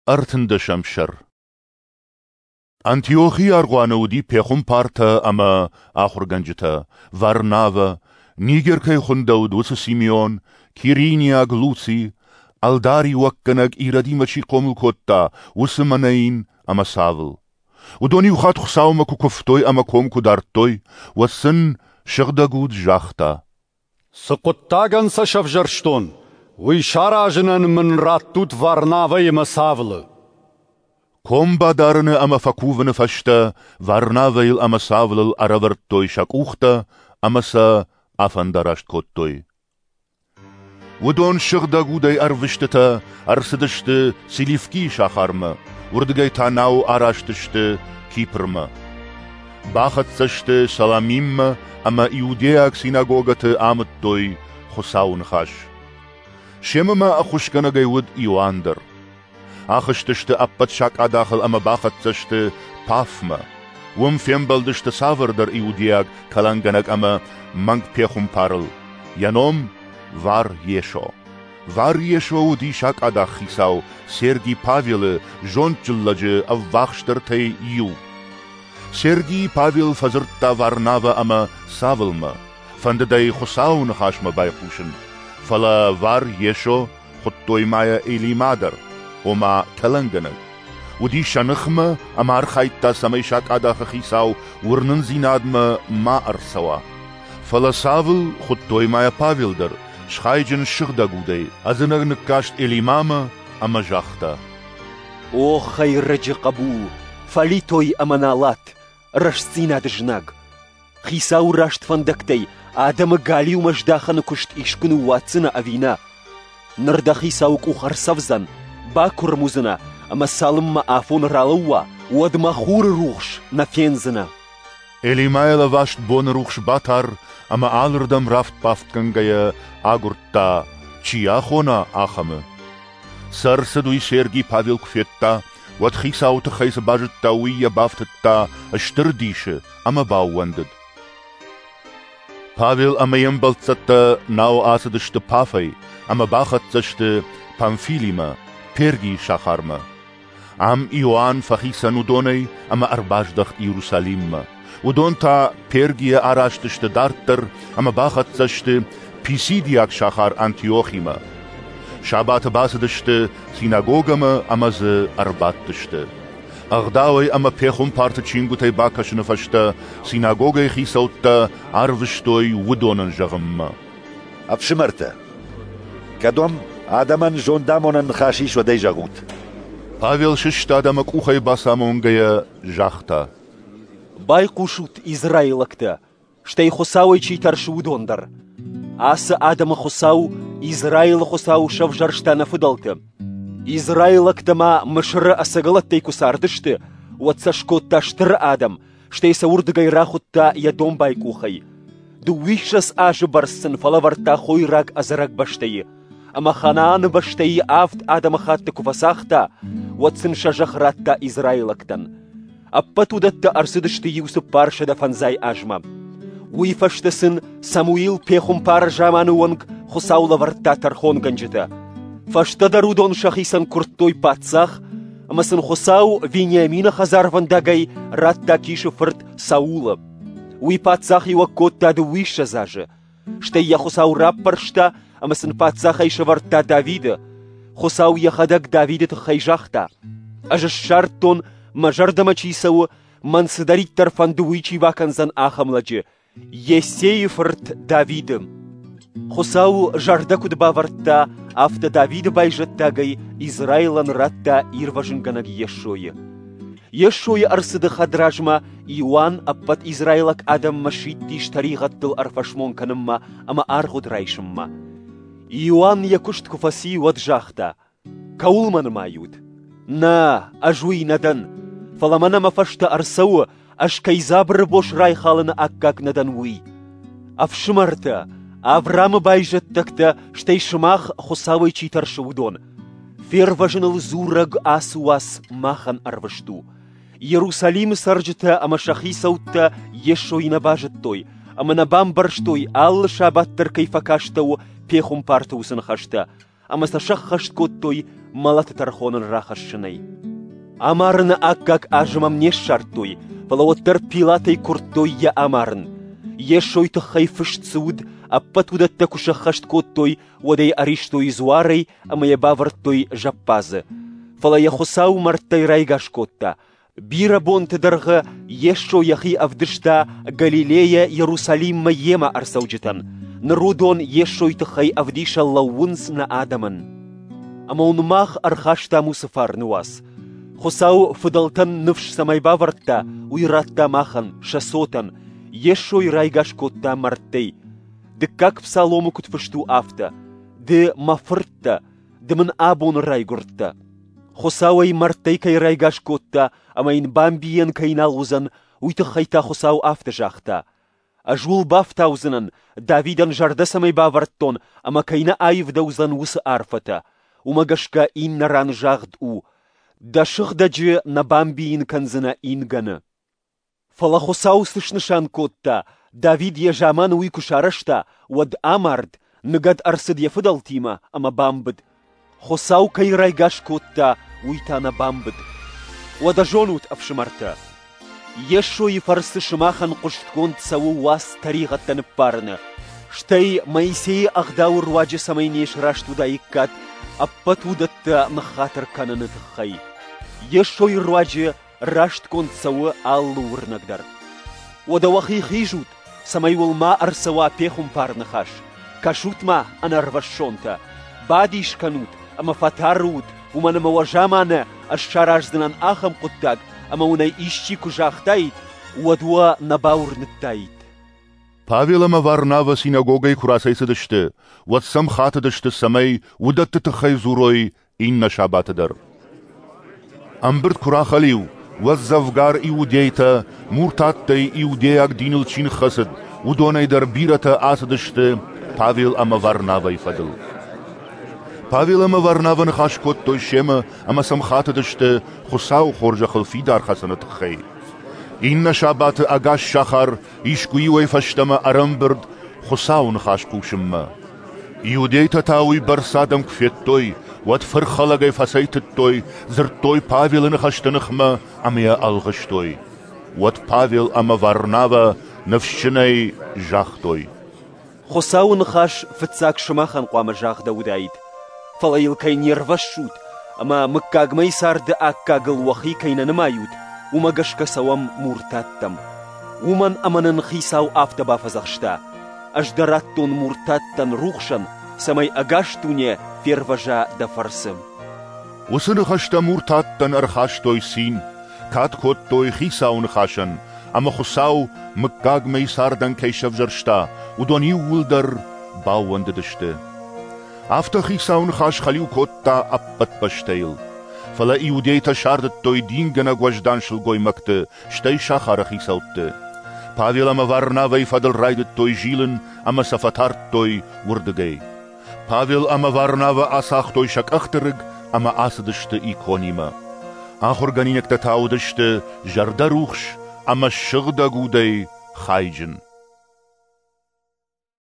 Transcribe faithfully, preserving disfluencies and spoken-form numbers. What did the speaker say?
Ӕртындӕсӕм сӕр. Антиохийы аргъуаны уыди пехуымпартӕ ӕмӕ ахуыргӕнджытӕ: Варнавӕ, Нигер кӕй хуындӕуыд, уыцы Симеон, Кириниаг Луци, ӕлдариуӕггӕнӕг Иродимӕ чи хъомыл кодта, уыцы Манаин ӕмӕ Савл. Уыдон иухатт Хуыцаумӕ куы куывтой ӕмӕ ком куы дардтой, уӕд сын Сыгъдӕг Уд загъта: «Цы хъуыддагӕн сӕ сӕвзӕрстон, уый саразынӕн мын раттут Варнавӕйы ӕмӕ Савлы». Ком бадарыны ӕмӕ фӕкувыны фӕстӕ Варнавӕйыл ӕмӕ Савлыл ӕрӕвӕрдтой сӕ къухтӕ ӕмӕ сӕ афӕндараст кодтой. Уыдон Сыгъдӕг Удӕй ӕрвыстытӕ ӕрцыдысты Селевкийы сахармӕ, уырдыгӕй та науы араст сты Кипрмӕ. Бахӕццӕ сты Саламиммӕ ӕмӕ иудейаг синагогӕты амыдтой Хуыцауы ныхас. Семӕ ма ӕххуысгӕнӕгӕй уыд Иоанн дӕр. Ахызтысты ӕппӕт сакъадахыл ӕмӕ бахӕццӕ сты Пафмӕ. Уым фембӕлдысты цавӕрдӕр иудейаг кӕлӕнгӕнӕг ӕмӕ мӕнгпехуымпарыл. Йӕ ном Вар-Йесо. Вар-Йесо уыди сакъадах хицау Сергий Павелы, зондджын лӕджы, ӕввахсдӕртӕй иу. Сергий Павел фӕдзырдта Варнавӕ ӕмӕ Савлмӕ, фӕндыд ӕй Хуыцауы ныхасмӕ байхъусын. Фӕлӕ Вар-Йесо, хуыдтой ма йӕ Елима дӕр, ома кӕлӕнгӕнӕг, уыди сӕ ныхмӕ ӕмӕ архайдта, цӕмӕй сакъадахы хицау уырнындзинадмӕ ма ӕрцӕуа. Фӕлӕ Савл, хуыдтой ма йӕ Павел дӕр, схайджын Сыгъдӕг Удӕй, ӕдзынӕг ныккаст Елимамӕ ӕмӕ загъта: «О хӕйрӕджы хъӕбул, фӕлитой ӕмӕ налат, рӕстдзинады знаг! Хицауы раст фӕндӕгтӕй адӕмы галиумӕ здахыны куыст искуы ныууадздзынӕ ӕви нӕ? Ныр дӕ хицауы къух ӕрцӕвдзӕн, бакуырм уыдзынӕ, ӕмӕ цалынмӕ афон ралӕууа, уӕдмӕ хуры рухс нӕ фендзынӕ». Елимайыл ӕваст боны рухс батар ӕмӕ алырдӕм рафт-бафтгӕнгӕйӕ агуырдта, чи йӕ ахона, ахӕмы. Цы ӕрцыд, уый Сергий Павел куы федта, уӕд хицауы тыххӕй цы базыдта, уый йӕ бафтыдта стыр дисы ӕмӕ баууӕндыд. Павел ӕмӕ йе мбӕлццӕттӕ науы ацыдысты Пафӕй ӕмӕ бахӕццӕ сты Памфилимӕ, Пергийы сахармӕ. Ам Иоанн фӕхицӕн уыдонӕй ӕмӕ ӕрбаздӕхт Иерусалиммӕ. Уыдон та Пергийӕ араст сты дарддӕр ӕмӕ бахӕццӕ сты Писидиаг сахар Антиохимӕ. Сабаты бацыдысты синагогӕмӕ ӕмӕ дзы ӕрбадтысты. Ӕгъдауӕй ӕмӕ пехуымпарты чингуытӕй бакӕсыны фӕстӕ синагогӕйы хицӕуттӕ ӕрвыстой уыдонӕн зӕгъынмӕ: «Ӕфсымӕртӕ, кӕд уӕм адӕмӕн зондамонӕн ныхас ис, уӕд ӕй зӕгъут». Павел сыстад ӕмӕ къухӕй бацамонгӕйӕ загъта: «Байхъусут, израилӕгтӕ, стӕй Хуыцауӕй чи тӕрсы, уыдон дӕр. Ацы адӕмы Хуыцау, Израилы Хуыцау, сӕвзӕрста нӕ фыдӕлты. Израилӕгтӕ ма Мысыры ӕцӕгӕлӕттӕй куы цардысты, уӕд сӕ скодта стыр адӕм, стӕй сӕ уырдыгӕй рахуыдта йӕ домбай къухӕй. Дыууиссӕдз азы бӕрц сын фӕлӕвӕрдта хойраг ӕдзӕрӕг бӕстӕйы, ӕмӕ Ханааны бӕстӕйы авд адӕмыхатты куы фӕцагъта, уӕд сын сӕ зӕхх радта израилӕгтӕн. Ӕппӕт уыдӕттӕ ӕрцыдысты иу цыппарсӕдӕ фӕндзай азмӕ. Уый фӕстӕ сын Самуил пехуымпары заманы онг Хуыцау лӕвӕрдта тӕрхонгӕнджытӕ. Фӕстӕдӕр уыдон сӕхицӕн куырдтой паддзах, ӕмӕ сын Хуыцау Вениамины хӕдзарвӕндагӕй радта Кисы фырт Саулы. Уый паддзахиуӕг кодта дыууиссӕдз азы. Стӕй йӕ Хуыцау раппӕрста ӕмӕ сын паддзахӕй сӕвӕрдта Давиды. Хуыцау йӕхӕдӕг Давиды тыххӕй загъта: «Ӕз ссардтон, мӕ зӕрдӕмӕ чи цӕуы, мӕн цыдӕриддӕр фӕнды, уый чи бакӕндзӕн, ахӕм лӕджы, Йессейы фырт Давиды». Хуыцау зӕрдӕ куыд бавӕрдта, афтӕ Давиды байзӕддагӕй Израилӕн радта ирвӕзынгӕнӕг Йесойы. Йесойы ӕрцыды хӕдразмӕ Иоанн ӕппӕт израилаг адӕммӕ сидтис тӕригъӕдтыл ӕрфӕсмон кӕнынмӕ ӕмӕ аргъуыд райсынмӕ. Иоанн йӕ куыст куы фӕци, уӕд загъта: «Кӕуыл мӕ нымайут? Нӕ, ӕз уый нӕ дӕн, фӕлӕ мӕнӕ мӕ фӕстӕ ӕрцӕуы, ӕз кӕй дзабыры бос райхалыны аккаг нӕ дӕн, уый. Ӕфсымӕртӕ, Авраамы байзӕддӕгтӕ, стӕй сымах, Хуыцауӕй чи тӕрсы, уыдон, фервӕзыныл дзурӕг ацы уац махӕн ӕрвыст у. Иерусалимы цӕрджытӕ ӕмӕ сӕ хицӕуттӕ Йесойы нӕ базыдтой ӕмӕ нӕ бамбӕрстой, алы сабат дӕр кӕй фӕкастӕуы пехуымпарты уыцы ныхӕстӕ, ӕмӕ сӕ сӕххӕст кодтой мӕлӕты тӕрхон ын рахӕссынӕй. Амарыны аккаг азым ӕм не ссардтой, фӕлӕ уӕддӕр Пилатӕй куырдтой йӕ амарын. Йесойы тыххӕй фыст цы уыд, ӕппӕт уыдӕттӕ куы сӕххӕст кодтой, уӕд ӕй ӕристой дзуарӕй ӕмӕ йӕ бавӕрдтой зӕппадзы. Фӕлӕ йӕ Хуыцау мӕрдтӕй райгас кодта. Бирӕ бонты дӕргъы Йесо йӕхи ӕвдыста Галилейӕ Иерусалиммӕ йемӕ ӕрцӕуджытӕн. Ныр уыдон Йесойы тыххӕй ӕвдисӕн лӕууынц нӕ адӕмӕн. Ӕмӕ уын мах ӕрхастам уыцы фарны уац. Хуыцау фыдӕлтӕн ныфс цӕмӕй бавӕрдта, уый радта махӕн, сӕ цотӕн. Йесойы райгас кодта мӕрдтӕй. Дыккаг псаломы куыд фыст у, афтӕ: «Ды мӕ фырт дӕ, ды мын абон райгуырдтӕ». Хуыцау ӕй мӕрдтӕй кӕй райгас кодта ӕмӕ йын бамбийӕн кӕй нал уыдзӕн, уый тыххӕй та Хуыцау афтӕ загъта: «Ӕз уыл бафтаудзынӕн, Давидӕн зӕрдӕ цӕмӕй бавӕрдтон ӕмӕ кӕй нӕ аивдӕуыдзӕн, уыцы арфӕтӕ». Уымӕ гӕсгӕ иннӕ ран загъд у: «Дӕ сыгъдӕджы нӕ бамбийын кӕндзынӕ ингӕны». Фӕлӕ Хуыцау цы снысан кодта, Давид йӕ заманы уый куы сарӕзта, уӕд амард, ныгӕд ӕрцыд йӕ фыдӕлтимӕ ӕмӕ бамбыд. Хуыцау кӕй райгас кодта, уый та нӕ бамбыд. Уӕдӕ зонут, ӕфсымӕртӕ, Йесойы фӕрцы сымахӕн хъуыстгонд цӕуы уац тӕригъӕдтӕ ныббарыны, стӕй Моисейы ӕгъдауы руаджы цӕмӕй не сраст уыдаиккат, ӕппӕт уыдӕттӕ ныххатыр кӕныны тыххӕй. Йесойы руаджы растгонд цӕуы алы уырнӕг дӕр. Уӕдӕ уӕхи хизут, цӕмӕй уыл ма ӕрцӕуа пехуымпар ныхас. Кӕсут-ма, ӕнӕрвӕссонтӕ, бадис кӕнут ӕмӕ фӕтары ут, уымӕн ӕмӕ уӕ заманы ӕз сараздзынӕн ахӕм хъуыддаг, ӕмӕ уын ӕй исчи куы загътаид, уӕд уӕ нӕ бауырныдтаид. Павел ӕмӕ Варнавӕ синагогӕй куы рацӕйцыдысты, уӕд сӕм хатыдысты, цӕмӕй уыдӕтты тыххӕй дзурой иннӕ сабаты дӕр. Ӕмбырд куы рахӕлиу, уӕд дзӕвгар иудейтӕ, муртаттӕй иудейаг диныл чи ныххӕцыд, уыдонӕй дӕр бирӕтӕ ацыдысты Павел ӕмӕ Варнавӕйы фӕдыл. Павел ӕмӕ Варнавӕ ныхас кодтой семӕ ӕмӕ сӕм хатыдысты Хуыцауы хорзӕхыл фидар хӕцыны тыххӕй. Иннӕ сабаты ӕгас сахар искуы-иуӕй фӕстӕмӕ ӕрӕмбырд Хуыцауы ныхас хъусынмӕ. Иудейтӕ та уый бӕрц адӕм куы федтой, уӕд фырхӕлӕгӕй фӕцӕйтыдтой, дзырдтой Павелы ныхӕсты ныхмӕ ӕмӕ йӕ ӕлгъыстой. Уӕд Павел ӕмӕ Варнавӕ ныфсджынӕй загътой: Хуыцауы ныхас фыццаг сымахӕн хъуамӕ загъдӕуыдаид, фӕлӕ йыл кӕй не рвӕссут ӕмӕ мыггагмӕйы царды аккагыл уӕхи кӕй нӕ нымайут, уымӕ гӕсгӕ цӕуӕм муртаттӕм. Уымӕн ӕмӕ нын Хицау афтӕ бафӕдзӕхста: «Ӕз дӕ радтон муртаттӕн рухсӕн, цӕмӕй ӕгас дуне фервӕза дӕ фӕрцы». Уыцы ныхӕстӕ муртаттӕн ӕрхастой цин, кад кодтой Хицауы ныхасӕн, ӕмӕ Хуыцау мыггагмӕйы цардӕн кӕй сӕвзӕрста, уыдон иууылдӕр баууӕндыдысты. Афтӕ Хицауы ныхас хӕлиу кодта ӕппӕт бӕстӕйыл. Фӕлӕ иудейтӕ сардыдтой дингӕнӕг уӕздан сылгоймӕгты, стӕй сахары хицӕутты. Павел ӕмӕ Варнавӕйы фӕдыл райдыдтой зилын ӕмӕ сӕ фӕтардтой уырдыгӕй. Павел ӕмӕ Варнавӕ ацагътой сӕ къӕхты рыг ӕмӕ ацыдысты Иконимӕ. Ахуыргӕнинӕгтӕ та уыдысты зӕрдӕрухс ӕмӕ сыгъдӕг удӕй хайджын.